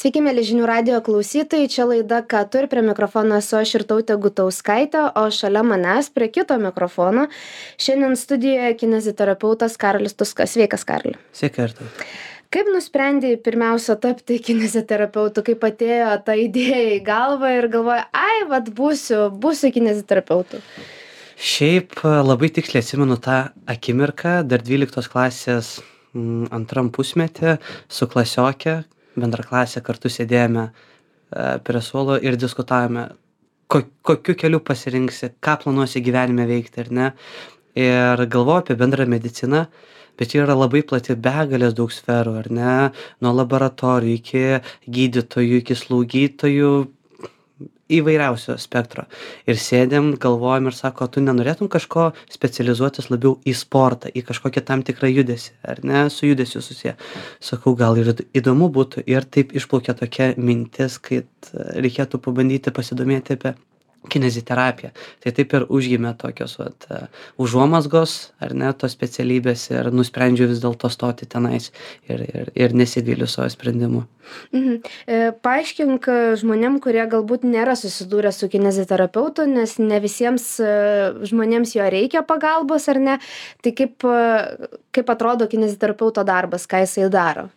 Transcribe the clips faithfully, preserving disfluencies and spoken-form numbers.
Sveiki, mėly žinių radijo klausytojai, čia laida Ką tu ir prie mikrofono esu aš Irtautė Gutauskaitė, o šalia manęs prie kito mikrofono šiandien studijoje kineziterapeutas Karolis Tuskas. Sveikas, Karoli. Sveiki, Irtautė. Kaip nusprendėjai pirmiausia tapti kineziterapeutu, kaip atėjo ta idėja į galvą ir galvoja, ai, vat būsiu, būsiu kineziterapeutu? Šiaip labai tiksliai atsimenu tą akimirką, dar dvyliktos klasės m, antram pusmetį su klasiokė, bendraklasė kartu sėdėjome e, prie suolo ir diskutavome, ko, kokiu keliu pasirinksi, ką planuosi gyvenime veikti ar ne. Ir galvoju apie bendrą mediciną, bet yra labai plati, begalės daug sferų, ar ne, nuo laboratorijų iki gydytojų, iki slaugytojų, įvairiausio spektro. Ir sėdėm, galvojam ir sako, tu nenorėtum kažko specializuotis labiau į sportą, į kažkokią tam tikrą judesį, ar ne, su judesiu susiję. Sakau, gal ir įdomu būtų. Ir taip išplaukė tokia mintis, kad reikėtų pabandyti pasidomėti apie kineziterapiją. Tai taip ir užgimė tokios vat, užuomazgos, ar ne, tos specialybės ir nusprendžiau vis dėlto stoti tenais ir, ir, ir nesivyliu savo sprendimu. Mhm. E, paaiškink žmonėm, kurie galbūt nėra susidūrę su kineziterapeutu, nes ne visiems žmonėms jo reikia pagalbos, ar ne? Tai kaip, kaip atrodo kineziterapeuto darbas, ką jisai daro?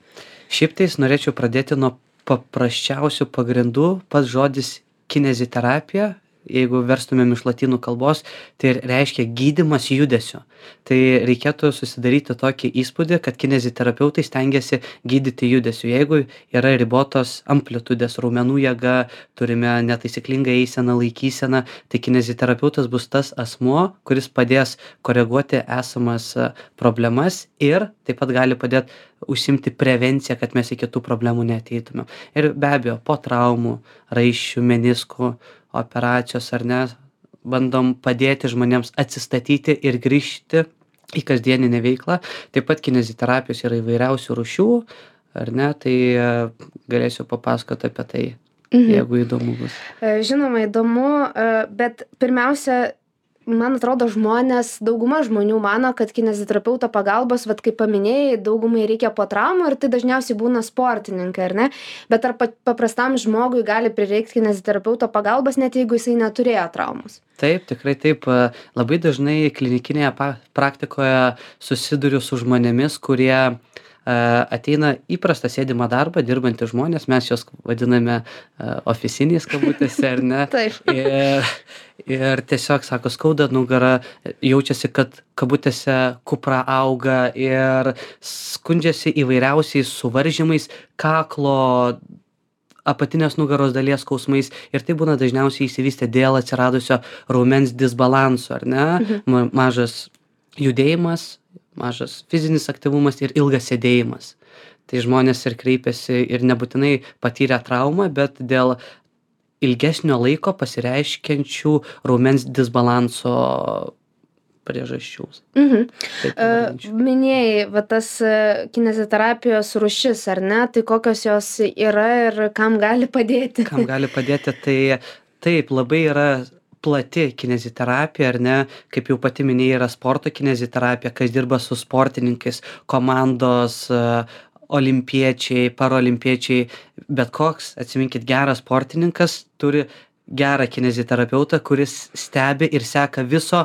Šiaip tais norėčiau pradėti nuo paprasčiausių pagrindų. Pats žodis kineziterapija, jeigu verstumėm iš lotynų kalbos, tai reiškia gydymas judesiu. Tai reikėtų susidaryti tokį įspūdį, kad kineziterapeutai stengiasi gydyti judesiu. Jeigu yra ribotos amplitudės, raumenų jėga, turime netaisyklingą eiseną, laikyseną, tai kineziterapeutas bus tas asmuo, kuris padės koreguoti esamas problemas ir taip pat gali padėti užsimti prevenciją, kad mes į kitų problemų neateitumėm. Ir be abejo, po traumų, raiščių, meniskų, operacijos ar ne, bandom padėti žmonėms atsistatyti ir grįžti į kasdieninę veiklą. Taip pat kineziterapijos yra įvairiausių rūšių, ar ne, tai galėsiu papasakoti apie tai, mhm. jeigu įdomu bus. Žinoma, įdomu, bet pirmiausia, man atrodo, žmonės, dauguma žmonių mano, kad kineziterapeuto pagalbos, vat kaip paminėjai, daugumai reikia po traumų ir tai dažniausiai būna sportininkai, ar ne? Bet ar paprastam žmogui gali prireikti kineziterapeuto pagalbos, net jeigu jisai neturėjo traumos? Taip, tikrai taip. Labai dažnai klinikinėje praktikoje susiduriu su žmonėmis, kurie ateina įprastą sėdimą darbą, dirbantys žmonės, mes juos vadiname ofisiniais kabutėse, ar ne? Taip. Ir, ir tiesiog, sako, skauda nugarą, jaučiasi, kad kabutėse kupra auga ir skundžiasi įvairiausiais suvaržymais, kaklo, apatinės nugaros dalies skausmais ir tai būna dažniausiai išsivystę dėl atsiradusio raumens disbalanso, ar ne? Mhm. Mažas judėjimas, mažas fizinis aktyvumas ir ilgas sėdėjimas. Tai žmonės ir kreipiasi ir nebūtinai patyrę traumą, bet dėl ilgesnio laiko pasireiškiančių raumens disbalanso priežasčių. Mhm. Uh, minėjai, va tas kineziterapijos rūšis, ar ne? Tai kokios jos yra ir kam gali padėti? Kam gali padėti, tai taip, labai yra plati kineziterapija, ar ne, kaip jau pati minėjai, yra sporto kineziterapija, kas dirba su sportininkais, komandos, olimpiečiai, parolimpiečiai, bet koks, atsiminkit, geras sportininkas turi gerą kineziterapeutą, kuris stebi ir seka viso,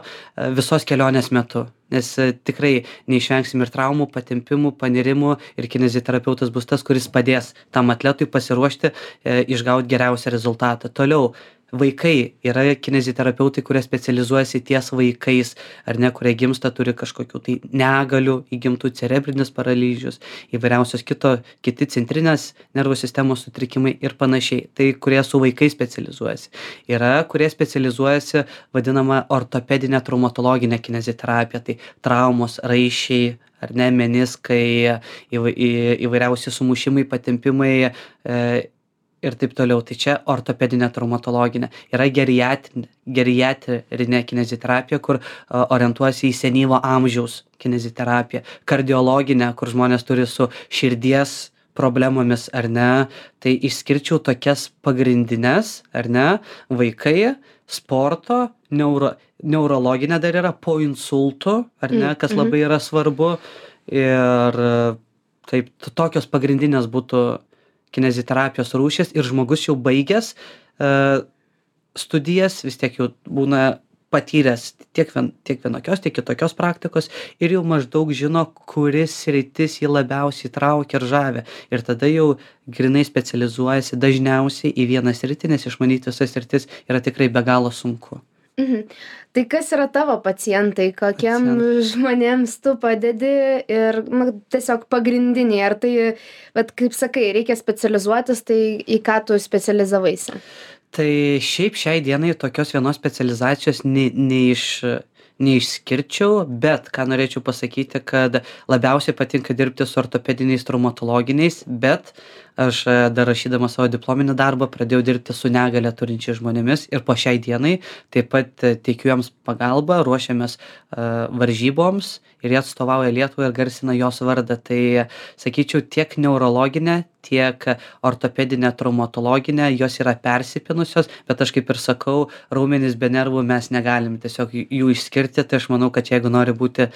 visos kelionės metu. Nes tikrai neišvengsim ir traumų, patempimų, panirimų ir kineziterapeutas bus tas, kuris padės tam atletui pasiruošti, e, išgauti geriausią rezultatą. Toliau, vaikai yra kineziterapeutai, kurie specializuojasi ties vaikais, ar ne, kurie gimsta, turi kažkokių tai negalių, įgimtų cerebrinis paralyžius, įvairiausios kito, kiti centrinės nervų sistemos sutrikimai ir panašiai. Tai kurie su vaikais specializuojasi. Yra, kurie specializuojasi vadinama ortopedinė traumatologinė kineziterapija, tai traumos, raiščiai, ar ne, meniskai, įvairiausi sumušimai, patempimai, e, ir taip toliau. Tai čia ortopedinė traumatologinė. Yra geriatrinė, geriatrinė kineziterapija, kur uh, orientuosi į senyvo amžiaus kineziterapiją. Kardiologinė, kur žmonės turi su širdies problemomis, ar ne. Tai išskirčiau tokias pagrindines, ar ne, vaikai, sporto, neuro, neurologinė dar yra po insultų, ar ne, kas labai yra svarbu. Ir taip, tokios pagrindinės būtų kineziterapijos rūšis ir žmogus jau baigęs uh, studijas, vis tiek jau būna patyręs tiek, vien, tiek vienokios, tiek kitokios praktikos ir jau maždaug žino, kuris sritis jį labiausiai traukia ir žavia. Ir tada jau grinai specializuojasi dažniausiai į vieną sritį, nes išmanyti visas sritis yra tikrai be galo sunku. Mhm. Tai kas yra tavo pacientai, kokiem Pacient. žmonėms tu padedi ir nu, tiesiog pagrindiniai, ar tai, bet kaip sakai, reikia specializuotis, tai į ką tu specializavaisi? Tai šiaip šiai dienai tokios vienos specializacijos ne, neiš, neišskirčiau, bet ką norėčiau pasakyti, kad labiausiai patinka dirbti su ortopediniais traumatologiniais, bet aš dar rašydama savo diplominį darbą pradėjau dirbti su negalią turinčiais žmonėmis ir po šiai dienai taip pat teikiu jiems pagalbą, ruošiamės uh, varžyboms ir jie atstovauja Lietuvą ir garsina jos vardą. Tai sakyčiau, tiek neurologinė, tiek ortopedinė, traumatologinė, jos yra persipinusios, bet aš kaip ir sakau, raumenys be nervų mes negalim tiesiog jų išskirti, tai aš manau, kad jeigu nori būti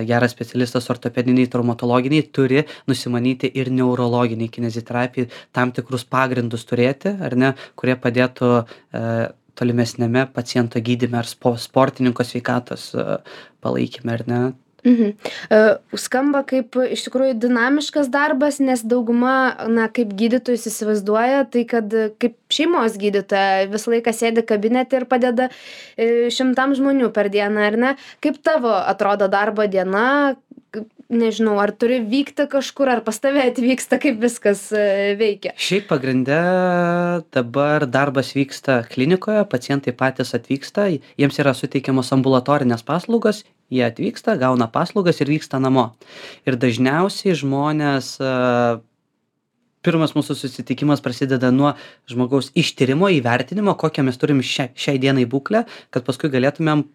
geras specialistas ortopediniai, traumatologiniai, turi nusimanyti ir neurologiniai kineziterapijai, tam tikrus pagrindus turėti, ar ne, kurie padėtų e, tolimesnėme paciento gydyme ar spo, sportininko sveikatos e, palaikyme, ar ne. Mhm. Uh, skamba kaip iš tikrųjų dinamiškas darbas, nes dauguma, na, kaip gydytojus įsivaizduoja, tai kad kaip šeimos gydytoja visą laiką sėdi kabinete ir padeda uh, šimtam žmonių per dieną, ar ne? Kaip tavo atrodo darbo diena? Nežinau, ar turi vykti kažkur, ar pas tave atvyksta, kaip viskas veikia? Šiaip pagrinde dabar darbas vyksta klinikoje, pacientai patys atvyksta, jiems yra suteikiamos ambulatorinės paslaugos, jie atvyksta, gauna paslaugas ir vyksta namo. Ir dažniausiai žmonės, pirmas mūsų susitikimas prasideda nuo žmogaus ištyrimo, įvertinimo, kokią mes turim šia, šiai dienai būklę, kad paskui galėtumėm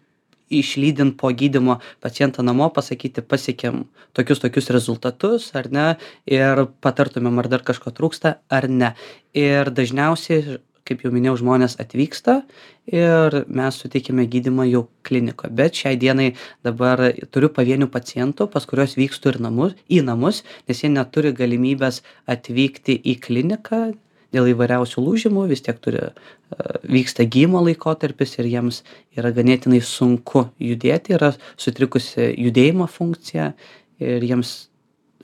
išlydint po gydymo pacientą namo, pasakyti, pasiekėm tokius tokius rezultatus, ar ne, ir patartumėm, ar dar kažko trūksta, ar ne. Ir dažniausiai, kaip jau minėjau, žmonės atvyksta ir mes suteikime gydymą jau klinikoje. Bet šiai dienai dabar turiu pavienių pacientų, pas kuriuos vykstu ir namus, į namus, nes jie neturi galimybės atvykti į kliniką dėl įvairiausių lūžimų, vis tiek turi, vyksta gydymo laikotarpis ir jiems yra ganėtinai sunku judėti, yra sutrikusi judėjimo funkcija ir jiems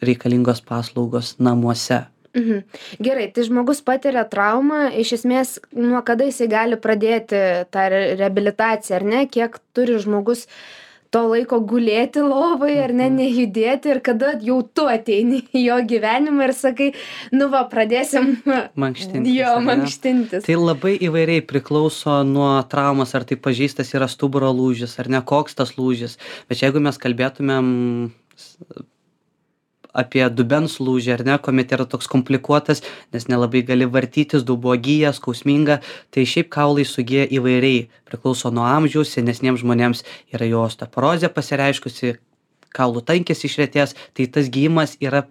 reikalingos paslaugos namuose. Mhm. Gerai, tai žmogus patiria traumą, iš esmės, nuo kada jisai gali pradėti tą reabilitaciją, ar ne, kiek turi žmogus to laiko gulėti lovai, ar ne, nejudėti, ir kada jau tu ateini į jo gyvenimą ir sakai, nu va, pradėsim mankštintis. Jo, mankštintis. Tai labai įvairiai priklauso nuo traumas, ar tai pažeistas yra stuburo lūžis, ar ne, koks tas lūžis. Bet jeigu mes kalbėtumėm apie dubens lūžį, ar ne, kuomet yra toks komplikuotas, nes nelabai gali vartytis, dubuo gyja, skausminga, tai šiaip kaulai sugyja įvairiai, priklauso nuo amžiaus, senesniems žmonėms yra jo osteoporozė pasireiškusi, kaulų tankis išretėjęs, tai tas gyjimas yra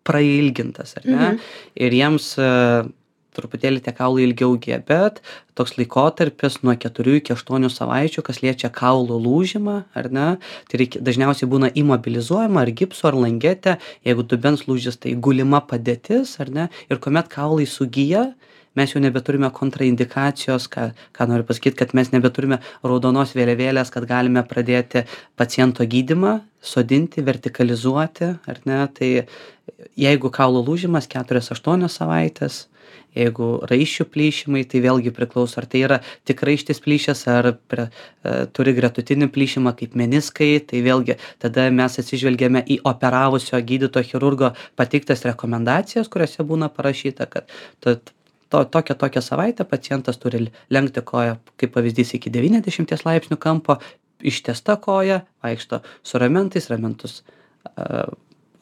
prailgintas, ar ne, mhm. ir jiems uh, truputėlį tie kaulai ilgiau gyja, bet toks laikotarpis nuo keturių iki aštuonių savaičių, kas liečia kaulų lūžimą, ar ne, tai reikia, dažniausiai būna imobilizuojama ar gipsu, ar langete, jeigu dubens lūžis, tai gulima padėtis, ar ne, ir kuomet kaulai sugyja, mes jau nebeturime kontraindikacijos, ką, ką noriu pasakyti, kad mes nebeturime raudonos vėliavėlės, kad galime pradėti paciento gydymą, sodinti, vertikalizuoti, ar ne, tai jeigu kaulų lūžimas keturios aštuonios savaitės, jeigu raiščių plyšimai, tai vėlgi priklauso, ar tai yra tik raištis plyšęs, ar pre, e, turi gretutinį plyšimą kaip meniskai, tai vėlgi tada mes atsižvelgiame į operavusio gydytojo chirurgo pateiktas rekomendacijas, kuriuose būna parašyta, kad to, to, tokią tokią savaitę pacientas turi lenkti koją, kaip pavyzdys, iki devyniasdešimties laipsnių kampo, ištiesta koja, vaikšto su ramentais, ramentus e,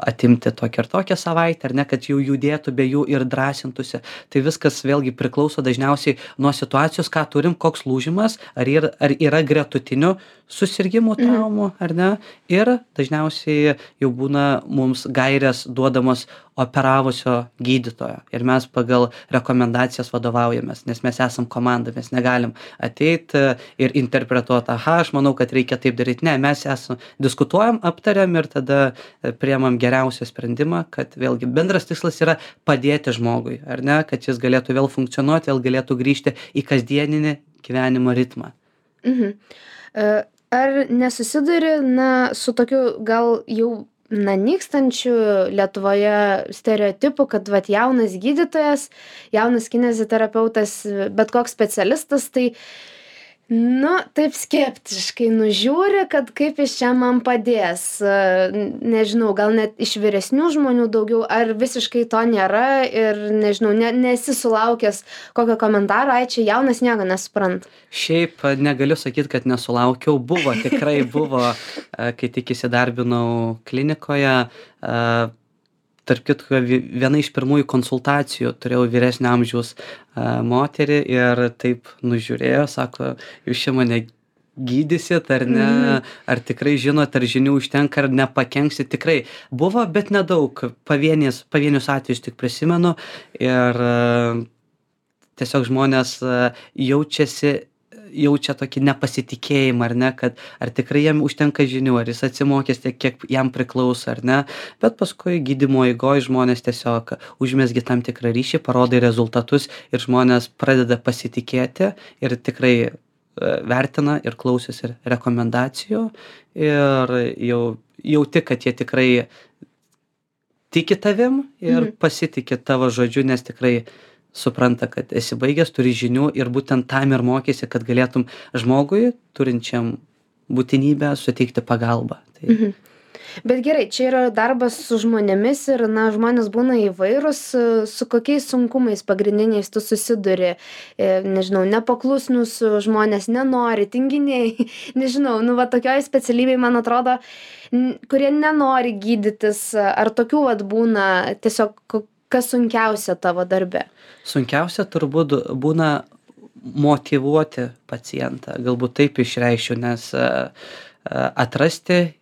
atimti tokią ir tokią savaitę, ar ne, kad jau judėtų be jų ir drąsintųsi. Tai viskas vėlgi priklauso dažniausiai nuo situacijos, ką turim, koks lūžimas, ar yra, ar yra gretutinių susirgimų, traumų, ar ne. Ir dažniausiai jau būna mums gairės duodamos operavusio gydytojo. Ir mes pagal rekomendacijas vadovaujamės, nes mes esam komanda, mes negalim ateiti ir interpretuoti, aha, aš manau, kad reikia taip daryti. Ne, mes esam, diskutuojam, aptariam ir tada priemam geriausią geriausią sprendimą, kad vėlgi bendras tikslas yra padėti žmogui, ar ne, kad jis galėtų vėl funkcionuoti, vėl galėtų grįžti į kasdieninį gyvenimo ritmą. Mhm. E, Ar nesusiduri, na, su tokiu gal jau, na, nykstančiu Lietuvoje stereotipu, kad, vat, jaunas gydytojas, jaunas kineziterapeutas, bet koks specialistas, tai, nu, taip skeptiškai nužiūri, kad kaip jis čia man padės. E, Nežinau, gal net iš vyresnių žmonių daugiau, ar visiškai to nėra ir, nežinau, ne, nesi sulaukęs kokio komentaro, ai, čia jaunas nieko nesupranta. Šiaip a, negaliu sakyti, kad nesulaukiau. Buvo, tikrai buvo, a, kai tik įsidarbinau klinikoje. A, tarp kitko, vi- viena iš pirmųjų konsultacijų turėjau vyresnio amžiaus a, moterį ir taip nužiūrėjo, sako, jūs čia mane gydysit ar ne, Mhm. ar tikrai žinot, ar žinių užtenka, ar nepakenksit. Tikrai buvo, bet nedaug. Pavienius, pavienius atvejus tik prisimenu ir a, tiesiog žmonės a, jaučiasi jaučia tokį nepasitikėjimą, ar ne, kad ar tikrai jam užtenka žinių, ar jis atsimokęs tiek, kiek jam priklauso, ar ne, bet paskui gydymo eigoj žmonės tiesiog užmesgi tam tikrą ryšį, parodai rezultatus ir žmonės pradeda pasitikėti ir tikrai e, vertina ir klausosi ir rekomendacijų ir jau jauti, kad jie tikrai tiki tavim ir Mhm. pasitiki tavo žodžiu, nes tikrai supranta, kad esi baigęs, turi žinių ir būtent tam ir mokysi, kad galėtum žmogui, turinčiam būtinybę, suteikti pagalbą. Tai Mhm. Bet gerai, čia yra darbas su žmonėmis ir, na, žmonės būna įvairūs, e, su kokiais sunkumais pagrindiniais tu susiduri, E, nežinau, nepaklusnus žmonės, nenori, tinginiai, nežinau, nu, va, tokioj specialybėj, man atrodo, n- kurie nenori gydytis, ar tokių, vat, būna tiesiog, ko- kas sunkiausia tavo darbe? sunkiausia turbūt būna motyvuoti pacientą, galbūt taip išreiškiu, nes e, e, atrasti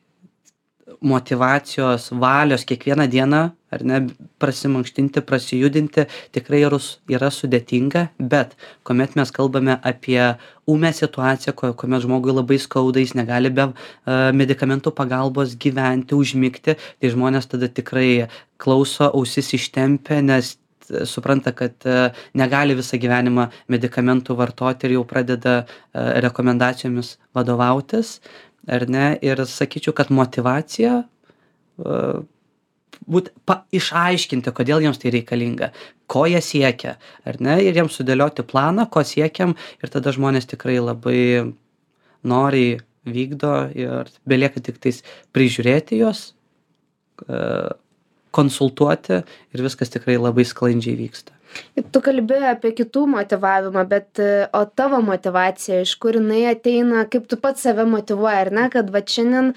motyvacijos, valios kiekvieną dieną, ar ne, prasimankštinti, prasijudinti, tikrai yra, s- yra sudėtinga, bet kuomet mes kalbame apie ūmę situaciją, kuo- kuomet žmogui labai skauda, jis negali be uh, medikamentų pagalbos gyventi, užmigti, tai žmonės tada tikrai klauso, ausis ištempia, nes t- supranta, kad uh, negali visą gyvenimą medikamentų vartoti ir jau pradeda uh, rekomendacijomis vadovautis, ar ne, ir sakyčiau, kad motyvacija uh, būt pa, išaiškinti, kodėl jiems tai reikalinga, ko jie siekia, ar ne, ir jiems sudėlioti planą, ko siekiam, ir tada žmonės tikrai labai noriai vykdo ir belieka tik tais prižiūrėti juos, e, konsultuoti ir viskas tikrai labai sklandžiai vyksta. Tu kalbi apie kitų motyvavimą, bet e, o tavo motyvacija, iš kur jinai ateina, kaip tu pats save motyvuoji, ar ne, kad va šiandien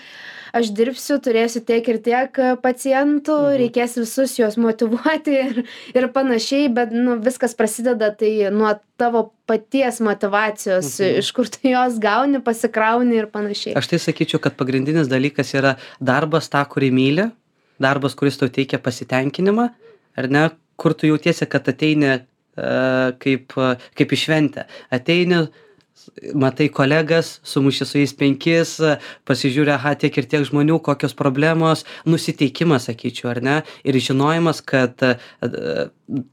aš dirbsiu, turėsiu tiek ir tiek e, pacientų, Mhm. reikės visus juos motyvuoti ir, ir panašiai, bet nu, viskas prasideda tai nuo tavo paties motyvacijos, Mhm. iš kur tu jos gauni, pasikrauni ir panašiai. Aš tai sakyčiau, kad pagrindinis dalykas yra darbas tą, kurį myli, darbas, kuris tau teikia pasitenkinimą, ar ne, kur tu jautiesi, kad ateini e, kaip, e, kaip į šventę. Ateini, s- matai kolegas, sumuši su jais penkis, e, pasižiūri, aha, tiek ir tiek žmonių, kokios problemos, nusiteikimas, sakyčiau, ar ne, ir žinojimas, kad e, e,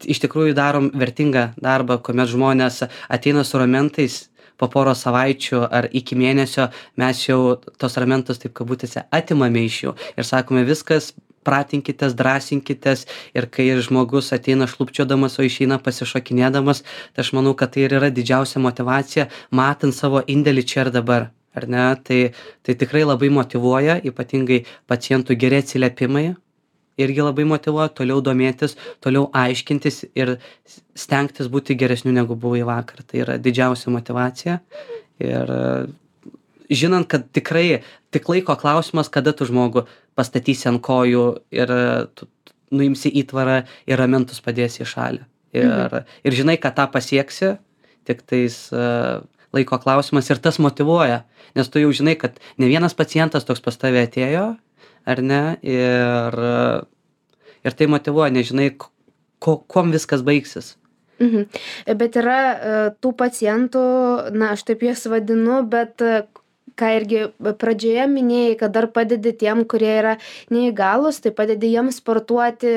iš tikrųjų darom vertingą darbą, kuomet žmonės ateina su ramentais po poros savaičių ar iki mėnesio, mes jau tos ramentus, taip kabutėse, atimame iš jų ir sakome, viskas, pratinkitės, drąsinkitės, ir kai žmogus ateina šlubčiodamas, o išeina pasišokinėdamas, tai aš manau, kad tai ir yra didžiausia motyvacija, matant savo indėlį čia ir dabar, ar ne, tai, tai tikrai labai motyvuoja, ypatingai pacientų geri atsiliepimai, irgi labai motyvuoja toliau domėtis, toliau aiškintis ir s- stengtis būti geresniu negu buvai vakar. Tai yra didžiausia motyvacija. Ir e, žinant, kad tikrai tik laiko klausimas, kada tu žmogų pastatysi ant kojų ir e, tu tu nuimsi įtvarą ir ramentus padėsi į šalį. Ir, Mhm. ir žinai, kad tą pasieksi, tik tais e, laiko klausimas ir tas motyvuoja. Nes tu jau žinai, kad ne vienas pacientas toks pas tave atėjo, ar ne, ir, e, ir tai motyvuoja, nežinai, ko, ko- kuom viskas baigsis. Mhm. Bet yra e, tų pacientų, na, aš taip juos vadinu, bet e, ką irgi pradžioje minėjai, kad dar padedi tiem, kurie yra neįgalūs, tai padedi jiems sportuoti.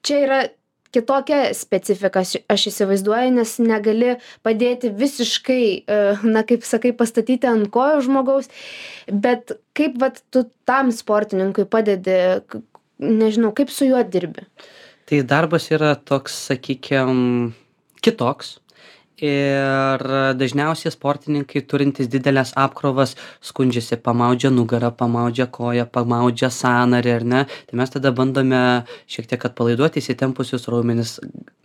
Čia yra kitokia specifika, aš aš įsivaizduoju, nes negali padėti visiškai, e, na, kaip sakai, pastatyti ant kojų žmogaus, bet kaip vat tu tam sportininkui padedi, k- nežinau, kaip su juo dirbi? Tai darbas yra toks, sakykim, kitoks. Ir dažniausiai sportininkai turintys didelės apkrovas skundžiasi, pamaudžia nugarą, pamaudžia koją, pamaudžia sąnarį, ar ne? Tai mes tada bandome šiek tiek atpalaiduoti įsitempusius raumenis,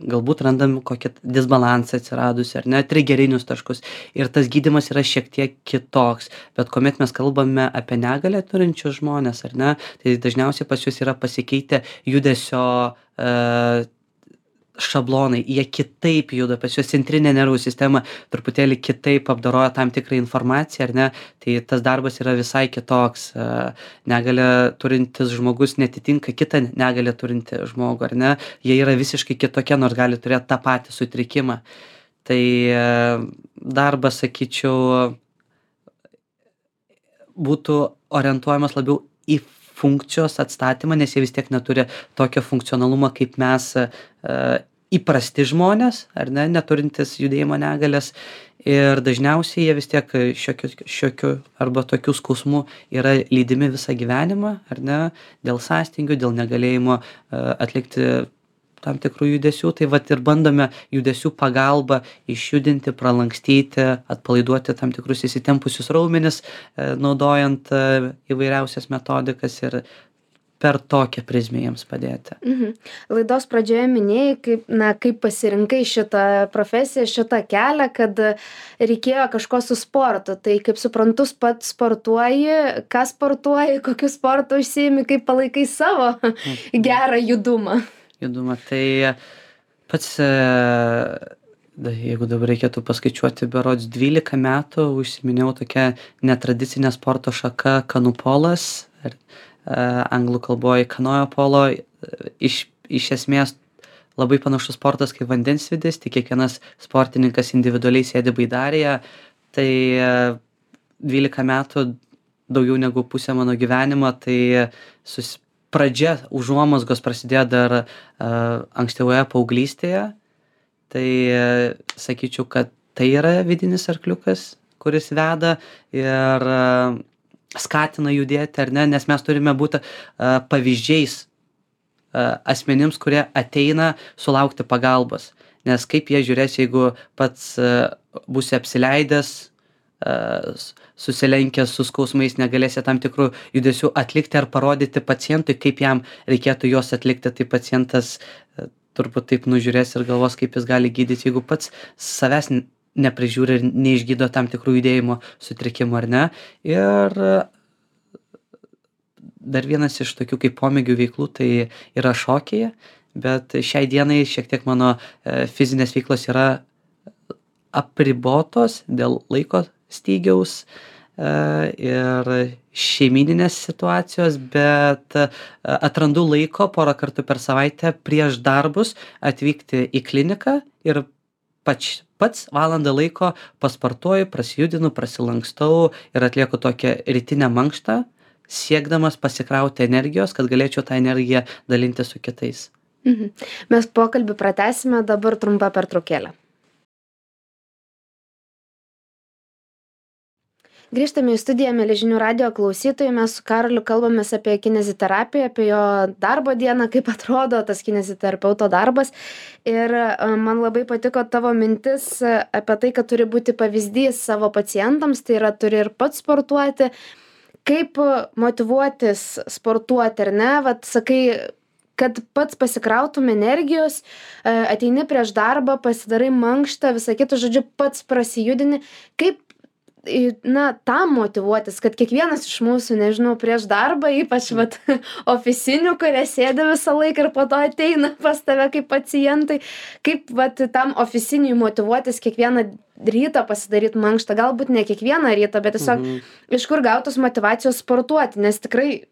galbūt randam kokį disbalansą atsiradusį, ar ne, trigerinius taškus. Ir tas gydymas yra šiek tiek kitoks. Bet kuomet mes kalbame apie negalę turinčius žmones, ar ne, tai dažniausiai pas juos yra pasikeitę judesio e, šablonai, jie kitaip juda, pas juos centrinė nervų sistema truputėlį kitaip apdoroja tam tikrą informaciją, ar ne, tai tas darbas yra visai kitoks. E, Negalę turintis žmogus netitinka kitą negalę turinti žmogų, ar ne, jie yra visiškai kitokie, nors gali turėti tą patį sutrikimą. Tai e, darbas, sakyčiau, būtų orientuojamas labiau į funkcijos atstatymą, nes jie vis tiek neturi tokio funkcionalumo kaip mes e, įprasti žmonės, ar ne, neturintis judėjimo negalės. Ir dažniausiai jie vis tiek šiokiu, šiokiu arba tokių skausmų yra lydimi visą gyvenimą, ar ne, dėl sąstingių, dėl negalėjimo e, atlikti tam tikrų judesių, tai vat ir bandome judesių pagalba išjudinti, pralankstyti, atpalaiduoti tam tikrus įsitempusius raumenis, e, naudojant e, įvairiausias metodikas ir per tokią prizmę jiems padėti. Mhm. Laidos pradžioje minėjai, kaip, na, kaip pasirinkai šitą profesiją, šitą kelią, kad reikėjo kažko su sportu. Tai kaip suprantu, pats sportuoji, ką sportuoji, kokiu sportu užsiimi, kaip palaikai savo gerą judumą. Judumą. Tai pats, e, da- jeigu dabar reikėtų paskaičiuoti, berods dvylika metų užsiminėjau tokia netradicinė sporto šaka kanupolas, ar, e, anglų kalboje kanojo polo. e, Iš, iš esmės labai panašus sportas kaip vandensvidis, tik kiekvienas sportininkas individualiai sėdi baidarėje. Tai e, dvylika metų, daugiau negu pusė mano gyvenimo, tai sus, pradžia užuomazgos prasidėjo dar uh, ankstyvoje paauglystėje. Tai uh, sakyčiau, kad tai yra vidinis arkliukas, kuris veda ir uh, skatina judėti, ar ne, nes mes turime būti uh, pavyzdžiais uh, asmenims, kurie ateina sulaukti pagalbos. Nes kaip jie žiūrės, jeigu pats uh, būsi apsileidęs, uh, susilenkęs su skausmais, negalėsi tam tikrų judesių atlikti ar parodyti pacientui, kaip jam reikėtų juos atlikti, tai pacientas e, turbūt taip nužiūrės ir galvos, kaip jis gali gydyti, jeigu pats savęs n- neprižiūri ir neišgydo tam tikrų judėjimo sutrikimų, ar ne. Ir e, dar vienas iš tokių kaip pomėgių veiklų tai yra šokėje, bet šiai dienai šiek tiek mano e, fizinės veiklos yra apribotos dėl laiko stygiaus e, ir šeimyninės situacijos, bet e, atrandu laiko porą kartų per savaitę prieš darbus atvykti į kliniką ir pač, pats valandą laiko pasportuoju, prasijudinu, prasilankstau ir atlieku tokią rytinę mankštą, siekdamas pasikrauti energijos, kad galėčiau tą energiją dalinti su kitais. Mhm. Mes pokalbį pratęsime, dabar trumpa pertraukėlė. Grįžtame į studiją, mieli žinių radijo klausytojai, mes su Karoliu kalbamės apie kineziterapiją, apie jo darbo dieną, kaip atrodo tas kineziterapeuto darbas. Ir e, man labai patiko tavo mintis e, apie tai, kad turi būti pavyzdys savo pacientams, tai yra turi ir pats sportuoti. Kaip e, motyvuotis sportuoti, ar ne? Vat sakai, kad pats pasikrautum energijos, e, ateini prieš darbą, pasidarai mankštą, visą kitą, žodžiu, pats prasijudini. Kaip į- na, tam motyvuotis, kad kiekvienas iš mūsų, nežinau, prieš darbą, ypač vat, ofisinių, kurie sėdi visą laiką ir po to ateina pas tave kaip pacientai, kaip vat, tam oficiniui motyvuotis kiekvieną rytą pasidaryti mankštą, galbūt ne kiekvieną rytą, bet tiesiog Mhm. iš kur gautos motyvacijos sportuoti, nes tikrai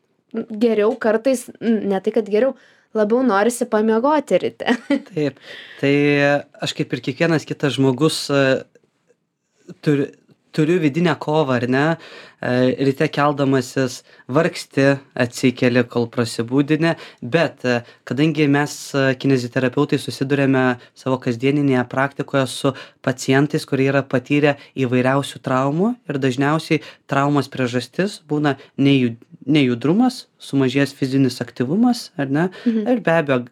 geriau kartais, n- ne tai kad geriau, labiau norisi pamiegoti ryte. Taip, tai aš kaip ir kiekvienas kitas žmogus e, turi, turiu vidinę kovą, ar ne, e, ryte keldamasis vargsti, atsikeli, kol prasibūdini, bet e, kadangi mes e, kineziterapeutai susidurėme savo kasdieninėje praktikoje su pacientais, kurie yra patyrę įvairiausių traumų ir dažniausiai traumos priežastis būna nejud, nejudrumas, sumažėjęs fizinis aktyvumas, ar ne, Mhm. ir be abejo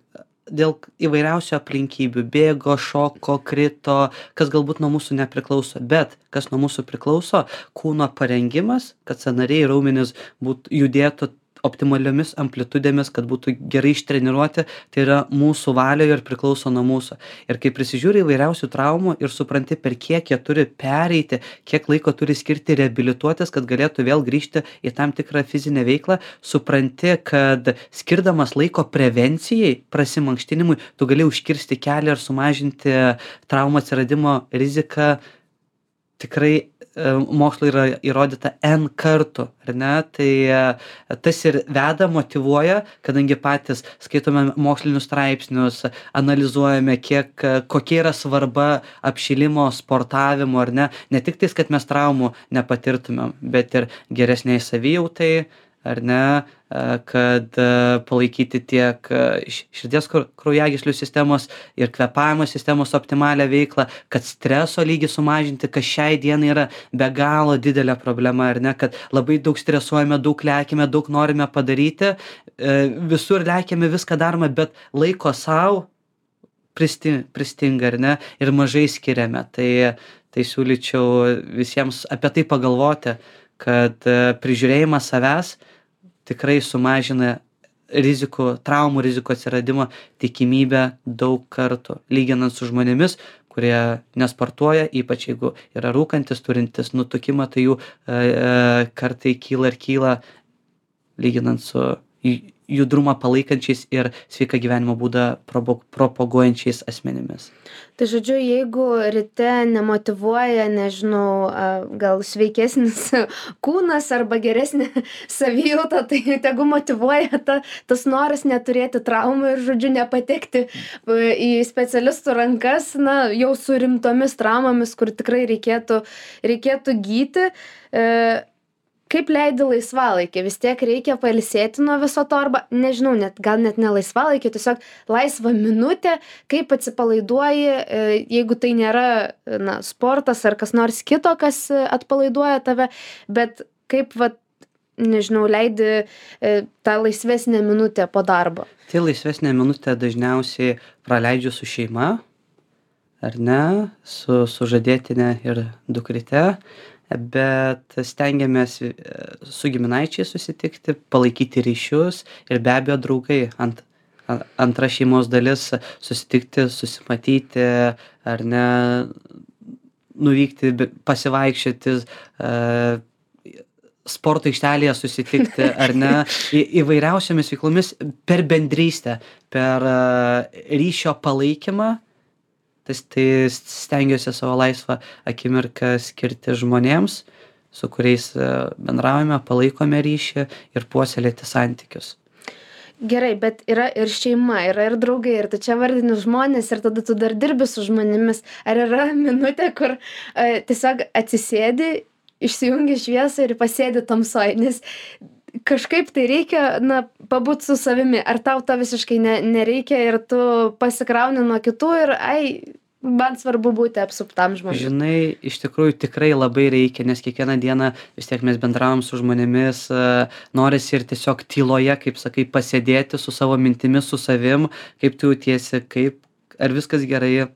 dėl įvairiausių aplinkybių, bėgo, šoko, krito, kas galbūt nuo mūsų nepriklauso, bet kas nuo mūsų priklauso, kūno parengimas, kad sąnariai ir raumenys būt, judėtų optimaliomis amplitudėmis, kad būtų gerai ištreniruoti, tai yra mūsų valioje ir priklauso nuo mūsų. Ir kai prisižiūri įvairiausių traumų ir supranti, per kiek jie turi pereiti, kiek laiko turi skirti reabilituotis, kad galėtų vėl grįžti į tam tikrą fizinę veiklą, supranti, kad skirdamas laiko prevencijai, prasimankštinimui, tu gali užkirsti kelią ir sumažinti traumų atsiradimo riziką. Tikrai e, mokslo yra įrodyta N kartų, ar ne? Tai e, tas ir veda, motyvuoja, kadangi patys skaitome mokslinius straipsnius, analizuojame, kiek, e, kokia yra svarba apšilimo, sportavimo, ar ne? Ne tik tais, kad mes traumų nepatirtumėm, bet ir geresniai savijautai, ar ne, e, kad e, palaikyti tiek e, š- širdies krau- kraujagyslių sistemos ir kvėpavimo sistemos optimalią veiklą, kad streso lygį sumažinti, kas šiai dienai yra be galo didelė problema, ar ne, kad labai daug stresuojame, daug lekiame, daug norime padaryti, e, visur lekiame, viską darome, bet laiko sau pristi, pristinga, ar ne, ir mažai skiriame. Tai, tai siūlyčiau visiems apie tai pagalvoti, kad e, prižiūrėjimas savęs tikrai sumažina rizikų, traumų rizikų atsiradimo tikimybę daug kartų, lyginant su žmonėmis, kurie nesportuoja, ypač jeigu yra rūkantis, turintis nutukimą, tai jų e, e, kartai kyla ir kyla, lyginant su ju- judrumą palaikančiais ir sveiką gyvenimo būdą probo- propaguojančiais asmenimis. Tai žodžiu, jeigu ryte nemotyvuoja, nežinau, a, gal sveikesnis kūnas arba geresnė savijauta, tai tegu motyvuoja ta, tas noras neturėti traumų ir, žodžiu, nepatekti a, į specialistų rankas, na, jau su rimtomis traumomis, kur tikrai reikėtų, reikėtų gyti. E, Kaip leidi laisvalaikį? Vis tiek reikia pailsėti nuo viso to, arba, nežinau, net, gal net ne laisvalaikį, tiesiog laisvą minutę, kaip atsipalaiduoji, e, jeigu tai nėra, na, sportas ar kas nors kito, kas e, atpalaiduoja tave, bet kaip, va, nežinau, leidi e, tą laisvesnę minutę po darbo. Tai laisvesnę minutę dažniausiai praleidžiu su šeima, ar ne, su sužadėtine ir dukryte, bet stengiamės e, su giminaičiais susitikti, palaikyti ryšius ir be abejo draugai. Ant, a- antra šeimos dalis susitikti, susimatyti, ar ne, nuvykti, be- pasivaikščioti, e, sporto aikštelėje susitikti, ar ne, į, įvairiausiamis veiklomis per bendrystę, per e, ryšio palaikymą. Tai, tai stengiuosi savo laisvą akimirką skirti žmonėms, su kuriais e, bendraujame, palaikome ryšį ir puoselėti santykius. Gerai, bet yra ir šeima, yra ir draugai, ir tu čia vardini žmonės, ir tada tu dar dirbi su žmonėmis. Ar yra minutė, kur e, tiesiog atsisėdi, išsijungi šviesą ir pasėdi tamsoj, nes kažkaip tai reikia, na, pabūt su savimi. Ar tau to visiškai ne, nereikia ir tu pasikrauni nuo kitų ir, ai, man svarbu būti apsuptam žmonių. Žinai, iš tikrųjų tikrai labai reikia, nes kiekvieną dieną vis tiek mes bendravom su žmonėmis, e, norisi ir tiesiog tyloje, kaip sakai, pasėdėti su savo mintimis, su savim, kaip tu jautiesi, kaip, ar viskas gerai,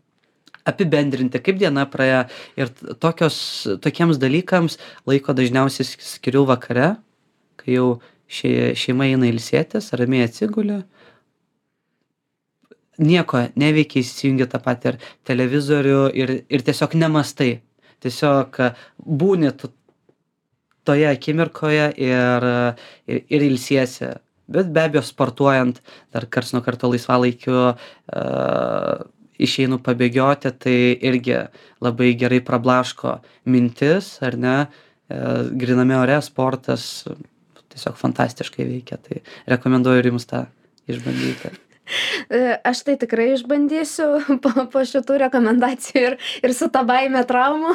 apibendrinti, kaip diena praėjo. Ir t- tokios, tokiems dalykams laiko dažniausiai sk- skiriu vakare, kai jau šei, šeima eina ilsėtis, ramiai atsigulė. Nieko neveikia, įsijungi tą patį ir televizorių ir, ir tiesiog nemastai. Tiesiog e, būni tu toje akimirkoje ir, ir, ir ilsiesi. Bet be abejo sportuojant, dar karts nuo karto laisvalaikiu uh, išeinu pabėgioti, tai irgi labai gerai prablaško mintis, ar ne, uh, gryname ore sportas tiesiog fantastiškai veikia, tai rekomenduoju ir jums tą išbandyti. E, Aš tai tikrai išbandysiu po, po šitų rekomendacijų ir, ir su ta baime traumų.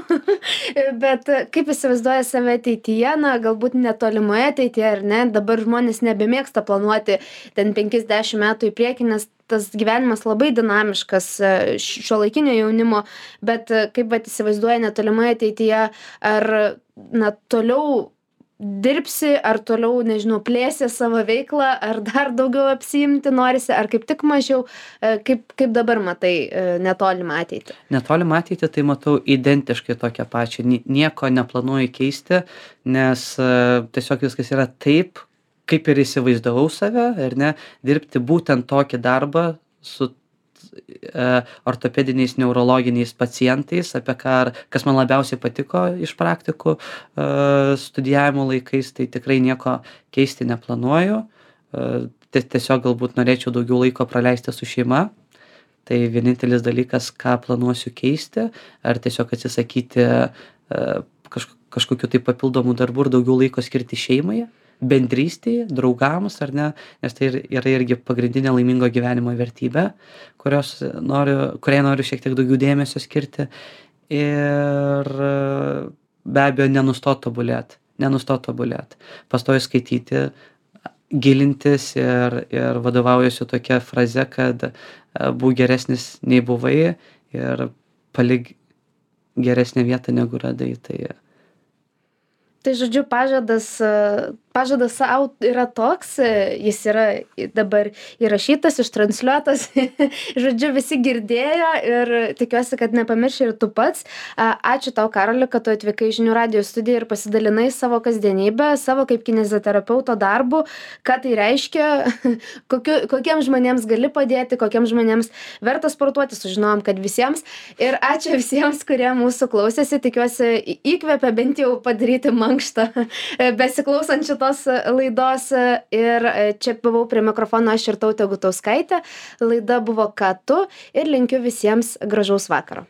Bet e, kaip įsivaizduoja save ateityje, na, galbūt netolimoje ateityje, ar ne? Dabar žmonės nebemėgsta planuoti ten penkiasdešimt metų į priekį, nes tas gyvenimas labai dinamiškas šiuolaikinio jaunimo, bet e, kaip vat įsivaizduoja netolimoje ateityje, ar na, toliau dirbsi, ar toliau, nežinau, plėsi savo veiklą, ar dar daugiau apsiimti norisi, ar kaip tik mažiau, e, kaip, kaip dabar matai e, netolimą ateitį? Netolimą ateitį tai matau identiškai tokią pačią. Nie- Nieko neplanuoju keisti, nes e, tiesiog viskas yra taip, kaip ir įsivaizdavau save, ar ne, dirbti būtent tokį darbą su e, ortopediniais neurologiniais pacientais, apie ką, kas man labiausiai patiko iš praktikų e, studijavimo laikais, tai tikrai nieko keisti neplanuoju. E, tie- Tiesiog galbūt norėčiau daugiau laiko praleisti su šeima. Tai vienintelis dalykas, ką planuosiu keisti, ar tiesiog atsisakyti e, kažk kažkokių tai papildomų darbų ir daugiau laiko skirti šeimai, bendrystei, draugams, ar ne, nes tai ir yra irgi pagrindinė laimingo gyvenimo vertybė, kurios noriu, kuriai noriu šiek tiek daugiau dėmesio skirti. Ir e, be abejo, nenustot tobulėt, nenustot tobulėt, pastoviai skaityti, gilintis ir, ir vadovaujuosi tokia fraze, kad e, būk geresnis nei buvai ir palik geresnę vietą negu radai. Tai Tai žodžiu, pažadas, e, pažadas sau yra toks, e, jis yra dabar įrašytas, ištransliuotas, žodžiu, visi girdėjo ir tikiuosi, kad nepamirši ir tu pats. A, Ačiū tau, Karoli, kad tu atvykai į žinių radijo studiją ir pasidalinai savo kasdienybę, savo kaip kineziterapeuto darbu, ką tai reiškia, kokiu, kokiems žmonėms gali padėti, kokiems žmonėms verta sportuoti, sužinojom, kad visiems. Ir ačiū visiems, kurie mūsų klausėsi, tikiuosi į- įkvepia bent jau padaryti mankštą besiklausant šitos laidos. Ir čia buvau prie mikrofono aš Irtautė Gutauskaitė. Laida buvo Ką tu ir linkiu visiems gražaus vakaro.